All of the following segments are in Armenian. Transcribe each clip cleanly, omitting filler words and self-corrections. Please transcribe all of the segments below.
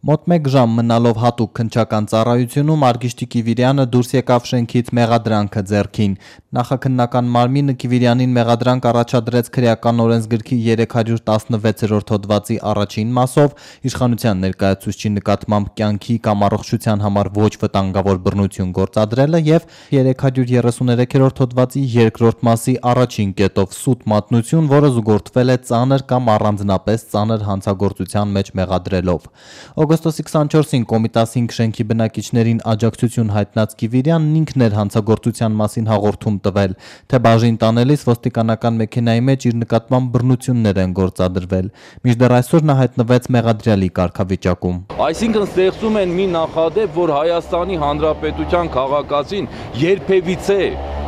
Մոտ 1 ժամ մնալով հատուկ քննչական ծառայությունում Արգիշտի Կիվիրյանը դուրս եկավ շենքից մեղադրանքը ձեռքին։ Նախաքննական մարմինը Կիվիրյանին մեղադրանք առաջադրեց քրեական օրենսգրքի 316-րդ հոդվածի առաջին մասով իշխանության ներկայացուցչի նկատմամբ կյանքի կամ առողջության համար ոչ վտանգավոր բռնություն գործադրելը եւ 333-րդ հոդվածի երկրորդ մասի առաջին կետով սուտ մատնություն, որը զուգորդվել է ծանր կամ առանձնապես ծանր հանցագործության մեջ մեղադրելով։ Օգոստոսի 24-ին Կոմիտաս 5 շենքի բնակիչներին աջակցություն հայտնած Կիվիրյանն ինքն էր հանցագործության մասին հաղորդում տվել, թե բաժին տանելիս ոստիկանական մեքենայի մեջ իր նկատմամբ բռնություններ են գործադրվել։ Մինչդեռ այսօր նա հայտնվեց մեղադրյալի կարգավիճակում։ Այսինքն ստեղծում են մի նախադեպ, որ Հայաստանի Հանրապետության քաղաքացին երբևիցե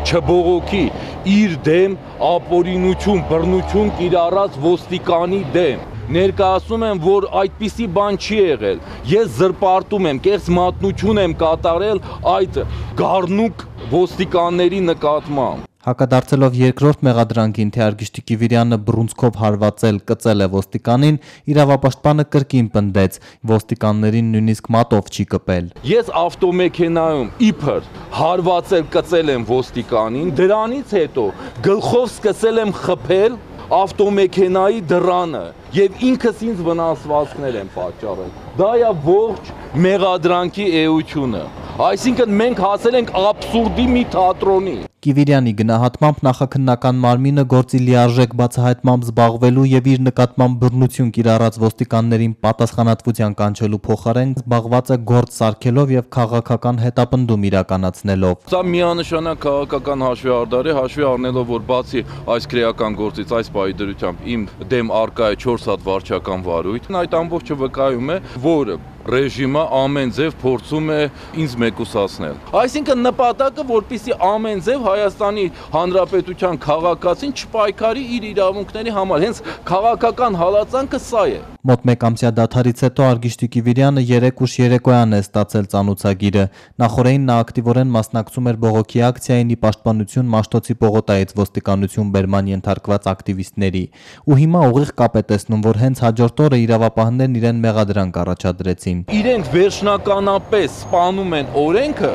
չբողոքի իր դեմ ապօրինություն, բռնություն կիրառած ոստիկանի դեմ։ Ներկայացնում եմ, որ այդպիսի բան չի եղել։ Ես զրպարտում եմ, կեղծ մատնություն եմ կատարել այդ գառնուկ ոստիկանների նկատմամբ։ Հակադարձելով երկրորդ մեղադրանքին, թե Արգիշտի Կիվիրյանը բռունցքով հարվածել, կծել է ոստիկանին, իրավապաշտպանը կրկին պնդեց, ոստիկաններին նույնիսկ մատով չի կպել։ Ես ավտոմեքենայում իբր հարվածել, կծել եմ ոստիկանին, դրանից հետո գլխով սկսել եմ խփել ավտոմեքենայի դռանը եւ ինքս ինձ վնասվածքներ եմ պատճառել։ Դա է ողջ մեղադրանքի էությունը։ Այսինքն մենք հասել ենք աբսուրդի մի թատրոնի։ Կիվիրյանի գնահատմամբ նախաքննական մարմինը գործի լիարժեք բացահայտմամբ զբաղվելու եւ իր նկատմամբ բռնություն կիրառած ոստիկաններին պատասխանատվության կանչելու փոխարեն զբաղված է գործ սարքելով եւ քաղաքական հետապնդում իրականացնելով։ Սա միանշանակ քաղաքական հաշվեհարդար է, հաշվի առնելով, որ բացի այս քրեական գործից, այս պահի դրությամբ իմ դեմ արկա է 4 հատ վարչական վարույթ, այդ ամբողջը վկայում է, որ ռեժիմը ամեն ձև փորձում է ինձ մեկուսացնել։ Այսինքն նպատակը, որպեսզի ամեն ձև Հայաստանի Հանրապետության քաղաքացին չպայքարի իր իրավունքների համար, հենց քաղաքական հալածանքը սա է։ Մոտ 1 ամսյա դադարից հետո Արգիշտի Կիվիրյանը 3 ուշ երեկոյան է ստացել ծանոթագիրը։ Նախորդին նա ակտիվորեն մասնակցում էր բողոքի ակցիային ի պաշտպանություն Մաշտոցի պողոտայից ոստիկանություն բերման ենթարկված ակտիվիստների։ Ու հիմա ուղիղ կապ է տեսնում, որ հենց հաջորդ օրը իրավապահներն իրեն մեղադրանք առաջադրեցին։ Իրենք վերջնականապես սպանում են օրենքը,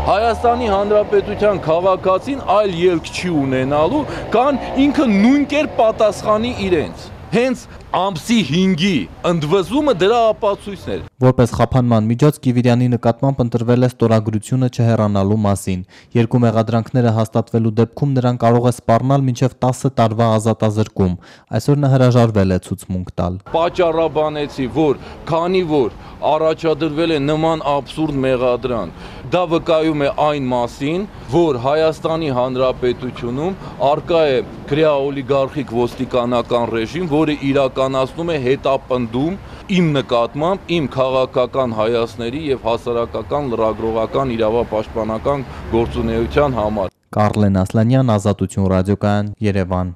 Հայաստանի Հանրապետության քաղաքացին այլ ելք չի ունենալու, կան ինքը նույն կերպ պատասխանի իրենց։ Հենց ամսի 5-ի ընդվզումը դրա ապացույցն էր։ Որպես խափանման միջոց Կիվիրյանի նկատմամբ ընտրվել է ստորագրությունը չհեռանալու մասին։ Երկու մեղադրանքները հաստատվելու դեպքում նրան կարող է սպառնալ մինչև 10 տարվա ազատազրկում։ Այսօր նա հրաժարվել է ցուցմունք տալ։ Պատճառաբանեցի, որ քանի որ առաջադրվել է նման աբսուրդ մեղադրանք, դա վկայում է այն մասին, որ Հայաստանի Հանրապետությունում արկա է քրեաօլիգարխիկ ոստիկանական ռեժիմ, որը իրականացնում է հետապնդում իմ նկատմամբ, իմ քաղաքական հայացքների եւ հասարակական լրագրողական իրավապաշտպանական գործունեության համար։ Կարլեն Ասլանյան, Ազատություն ռադիոկայան, Երևան։